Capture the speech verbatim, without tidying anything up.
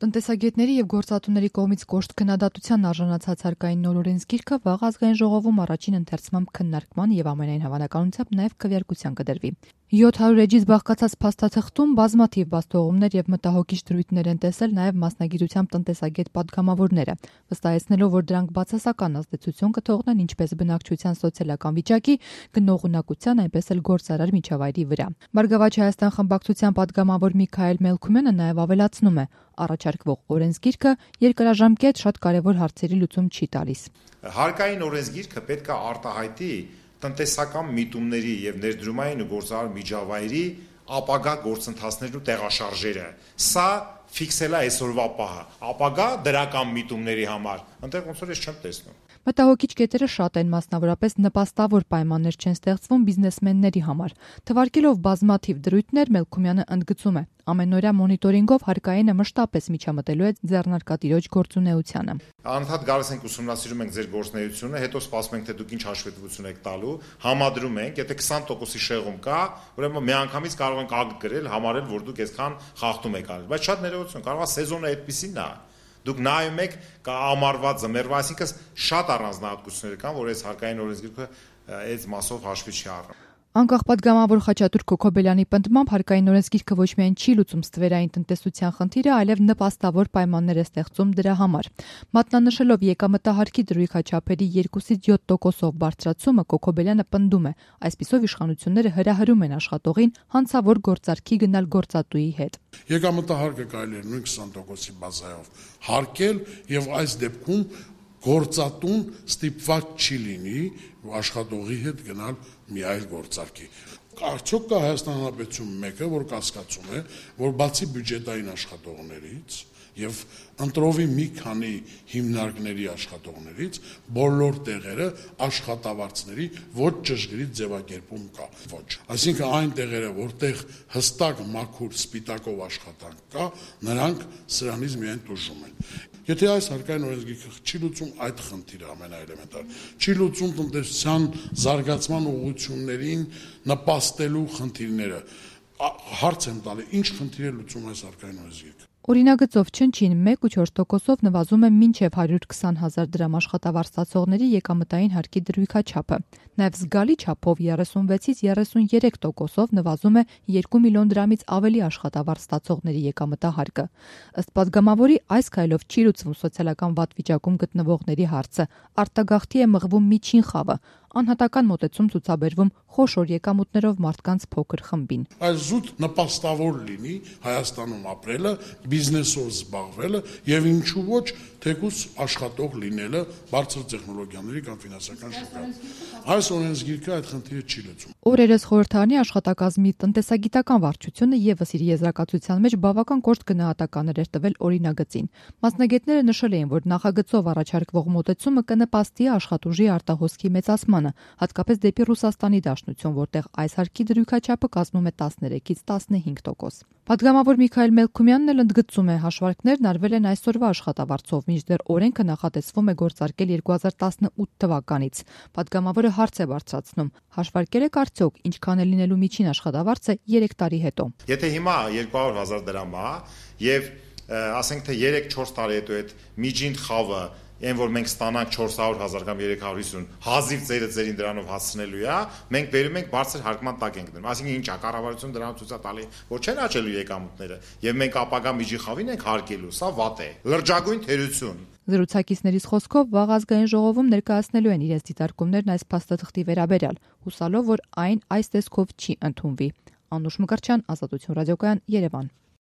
Տնտեսագետների եւ գործատուների կողմից կոշտ քննադատության արժանացած հարկային նոր օրենսգիրքը վաղ ազգային ժողովում առաջին ընթերցմամբ քննարկման եւ ամենայն հավանականությամբ նաեւ քվեարկության կդրվի։ յոթ հարյուր էջից բաղկացած փաստաթղթում բազմաթիվ բացթողումներ եւ մտահոգիչ դրույթներ են տեսել նաեւ մասնագիտությամբ տնտեսագետ պատգամավորները, վստահեցնելով, որ դրանք բացասական ազդեցություն կթողնեն ինչպես բնակչության սոցիալական վիճակի, գնողունակության, այնպես էլ գործարար միջավայրի վրա։ Բարգավաճ Հայաստան խմբակցության պատգամավոր Միքայել Մելքումյանը նաեւ ավելացնում է, առաջարկվող օրենսգիրքը երկարաժամկետ շատ կարևոր հարցերի լուծում չի տալիս։ Հարկային օրենսգիրքը պետք է արտահայտի տնտեսական միտումների եւ ներդրումային ու գործարար միջավայրի ապագա գործընթացներն ու տեղաշարժերը։ Սա ֆիքսել է այսօրվա պահը, ապագա դրական միտումների համար։ Այնտեղ ոնց որ ես չեմ տեսնում։ Մտահոգիչ կետերը շատ են, մասնավորապես նպաստավոր պայմաններ չեն ստեղծվում բիզնեսմենների համար։ Թվարկելով բազմաթիվ դրույթներ, Մելքումյանը ընդգծում է, ամենօրյա մոնիտորինգով հարկայինը մշտապես միջամտելու է ձեռնարկատիրոջ գործունեությանը։ Անընդհատ գալիս ենք ուսումնասիրում ենք ձեր գործունեությունը, հետո սպասում ենք, թե դուք ինչ հաշվետվություն եք տալու, համադրում ենք, եթե քսան տոկոսի շեղում կա, ուրեմն միանգամից կարող ենք ակտ գրել, համարել, որ դուք այսքան խախտում եք արել, բայց շատ ներողություն, կարող է սեզոնը այդպեսին է։ Դուք նայում եք ամառվա ձմեռվա, այսինքն շատ առանձնահատկություններ կան, որ այս հարկային օրենսգիրքը այս մասով հաշվի չի առնում։ Անկախ պատգամավոր Խաչատուր Քոքոբելյանի պնդմամբ հարկային օրենսգիրքը ոչ միայն չի լուծում ստվերային տնտեսության խնդիրը, այլև նպաստավոր պայմաններ է ստեղծում դրա համար։ Մատնանշելով եկամտահարկի դրույքաչափերի երկուսից յոթ տոկոսով բարձրացումը, Քոքոբելյանը պնդում է, այսպիսով իշխանությունները հրահրում են աշխատողին հանցավոր գործարքի գնալ գործատուի հետ։ Եկամտահարկը կարելի է նույն քսան տոկոսի բազայով հարկել եւ այս դեպքում գործատուն ստիպված չի լինի աշխատողի հետ գնալ մի այլ գործարքի։ Արդյոք կա Հայաստան Հանրապետություն մեկը, որ կասկածում է, որ բացի բյուջետային աշխատողներից եւ ընտրովի մի քանի հիմնարկների աշխատողներից բոլոր տեղերը աշխատավարձների ոչ ճշգրիտ ձևակերպում կա։ Ոչ։ Այսինքն այն տեղերը, որտեղ հստակ մաքուր սպիտակով աշխատանք կա, նրանք սրանից միայն տուժում են։ Եթե այս հարկային օրենսգիրքը չի լուծում այդ խնդիրը ամենաէլեմենտար, չի լուծում տնտեսության զարգացման ուղղություններին նպաստելու խնդիրները, հարց եմ տալի, ինչ խնդիր է լուծում այս հարկային օրենսգիրքը։ Օրինագծով չնչին մեկ ու չորս տոկոսով նվազում է մինչև հարյուր քսան հազար դրամ աշխատավարձ ստացողների եկամտային հարկի դրույքաչափը։ Նաև զգալի չափով երեսունվեցից երեսուներեք տոկոսով նվազում է երկու միլիոն դրամից ավելի աշխատավարձ ստացողների եկամտահարկը։ Ըստ պատգամավորի, այս քայլով չի լուծվում սոցիալական վատ վիճակում գտնվողների հարցը, արտագաղթի է մղվում միջին խավը, անհատական մոտեցում ցուցաբերվում խոշոր եկամուտներով մարդկանց փոքր խմբին։ Այս զուտ նպաստավոր լինի Հայաստանում ապրելը, բիզնեսով զբաղվելը եւ ինչու ոչ թեկուզ աշխատող լինելը բարձր տեխնոլոգիաների կամ ֆինանսական շուկայում։ Այս օրենսգիրքը այդ խնդիրը չի լուծում։ Օրերս խորհրդարանի աշխատակազմի տնտեսագիտական վարչությունը եւս իր եզրակացության մեջ բավական կոշտ գնահատականներ էր տվել օրինագծին։ Մասնագետները նշել էին, որ նախագծով առաջարկվող մոտեցումը կնպաստի աշխատուժի արտահոսքի մեծացմանը, հատկապես դեպի Ռուսաստանի Դաշնություն, որտեղ այս հարկի դրույքաչափը կազմում է տասներեքից տասնհինգ տոկոս։ Պատգամավոր Միքայել Մելքումյանն էլ ընդգծում է, հաշվարկներն արվել են այսօրվա աշխատավարձով, մինչդեռ օրենքը նախատեսվում է գործարկել երկու հազար տասնութ թվականից։ Պատգամավորը հարց է բարձրացնում. հաշվարկել եք արդյոք ինչքան է լինելու միջին աշխատավարձը երեք տարի հետո։ Եթե հիմա երկու հարյուր հազար դրամ է եւ ասենք թե երեք չորս տարի հետո այդ միջին խավը այն որ մենք ստանանք չորս հարյուր հազար կամ երեք հարյուր հիսուն հազիվ ծերը ծերին դրանով հասցնելու է, մենք բերում ենք բարձր հարկման տակ ենք դնում։ Այսինքն ինչ է, կառավարությունը դրանով ցույց է տալի, որ չեն աճելու եկամուտները, եւ մենք ապագա միջին խավին ենք հարկելու, սա վատ է։ Լրջագույն թերություն։ Զրուցակիցներից խոսքով վաղ ազգային ժողովում ներկայացնելու են իրենց դիտարկումներն այս փաստաթղթի վերաբերյալ, հուսալով, որ այն այս տեսքով չի ընդունվի։ Անուշ Մկրտչյան, Ազատություն ռադիոկայան, Երևան։